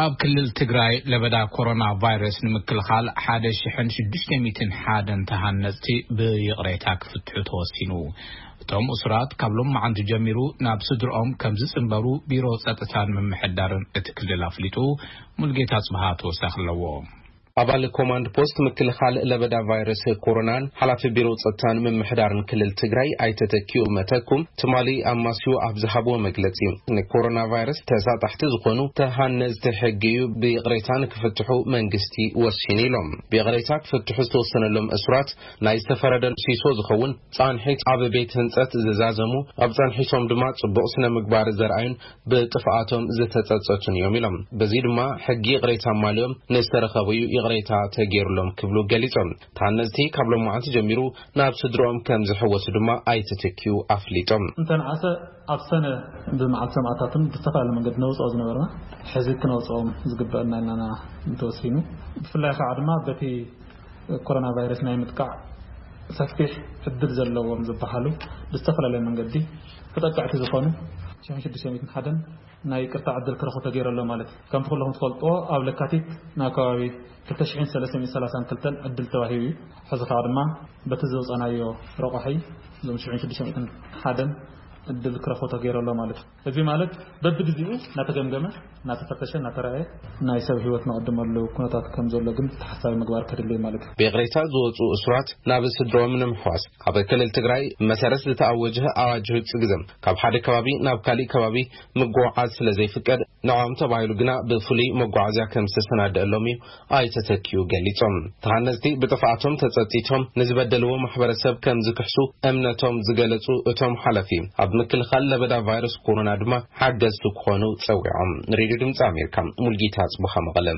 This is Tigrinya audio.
ኣብ ክልል ትግራይ ለበዳ ኮሮና ቫይረስ ንምክልኻል ሓደ ሽሕን ሽዱሽተ ሚእትን ሓደን ተሃነፅቲ ብይቕሬታ ክፍትሑ ተወሲኑ። እቶም እሱራት ካብ ሎም መዓንቲ ጀሚሩ ናብ ስድርኦም ከም ዝፅንበሩ ቢሮ ፀጥታን ምምሕዳርን እቲ ክልል ኣፍሊጡ። ሙልጌታ ጽብሃ ተወሳኺ ኣለዎ። ኣባል ኮማንድ ፖስት ምክልኻል ለበዳ ቫይረስ ኮሮናን ሓላፊ ቢሮ ጸጥታን ምምሕዳርን ክልል ትግራይ ኣይተተኪኡ መተኩም ትማሊ ኣብ ማስዩ ኣብ ዝሃብዎ መግለጺ፣ ንኮሮና ቫይረስ ተሳጣሕቲ ዝኾኑ ተሃነዝቲ ሕጊ እዩ ብይቕሬታ ንክፍትሑ መንግስቲ ወሲኑ ኢሎም። ብይቕሬታ ክፍትሑ ዝተወሰነሎም እሱራት ናይ ዝተፈረደ ሲሶ ዝኸውን ጻንሒት ኣብ ቤት ህንጸት ዝዛዘሙ፣ ኣብ ጻንሒቶም ድማ ጽቡቕ ስነ ምግባር ዘርኣዩን ብጥፍኣቶም ዝተጸጸቱን እዮም ኢሎም። በዚ ድማ ሕጊ ይቕሬታ ኣማልዮም ንዝተረኸቡ እዩ ይቕሬታ ተገይሩሎም ክብሉ ገሊጾም። ተሃነዝቲ ካብ ሎማዓንቲ ጀሚሩ ናብ ስድሮኦም ከም ዝሕወሱ ድማ ኣይተተኪኡ ኣፍሊጦም። እንተንዓሰ ኣብ ሰነ ብመዓልቲ ሰማእታትን ብዝተፈላለየ መንገዲ ነውፅኦ ዝነበርና ሕዚ ክነውፅኦም ዝግበአና ኢልና እንተወሲኑ፣ ብፍላይ ከዓ ድማ በቲ ኮሮና ቫይረስ ናይ ምጥቃዕ ሰፊሕ ዕድል ዘለዎም ዝበሃሉ ብዝተፈላለየ መንገዲ ተጠቀዕቲ ዝኾኑ ሽሕን ሽዱሽተ ሚእትን ሓደን ናይ ይቅርታ ዕድል ክረኽቡ ተገይሩ ኣሎ ማለት እዩ። ከምቲ ኩለኹም ትፈልጥዎ ኣብ ለካቲት ናብ ከባቢ ክልተ ሽሕን ሰለስተ ሚእትን ሰላሳን ክልተን ዕድል ተዋሂቡ እዩ። ሕዚ ከዓ ድማ በቲ ዘውፃናዮ ረቋሒ እዞም ሽሕን ሽዱሽተ ሚእትን ሓደን ዕድል ክረኽቡ ተገይሩ ኣሎ ማለት እዩ። እዚ ማለት በብግዜኡ እናተገምገመ፣ እናተፈተሸ፣ እናተረኣየ ናይ ሰብ ህይወት ነቐድመሉ ኩነታት ከም ዘሎ ግን ተሓሳቢ ምግባር ከድሊ እዩ ማለት እዩ። ብይቕሬታ ዝወፁ እሱራት ናብ ስድሮም ንምሕዋስ ኣብ ክልል ትግራይ መሰረት ዝተኣወጀ ኣዋጅ ህፁ ግዘ ካብ ሓደ ከባቢ ናብ ካሊእ ከባቢ ምጉዕዓዝ ስለ ዘይፍቀድ ንዕኦም ተባሂሉ ግና ብፍሉይ መጓዓዝያ ከም ዝተሰናደአሎም እዩ ኣይተተኪኡ ገሊጾም። ተሃነፅቲ ብጥፍኣቶም ተጸጺቶም ንዝበደልዎ ማሕበረሰብ ከም ዝክሕሱ እምነቶም ዝገለጹ እቶም ሓላፊ ኣብ ምክልኻል ለበዳ ቫይረስ ኮሮና ድማ ሓገዝቲ ክኾኑ ጸዊዖም። ንሬድዮ ድምፂ ኣሜሪካ ሙልጌታ ጽቡኻ መቐለ።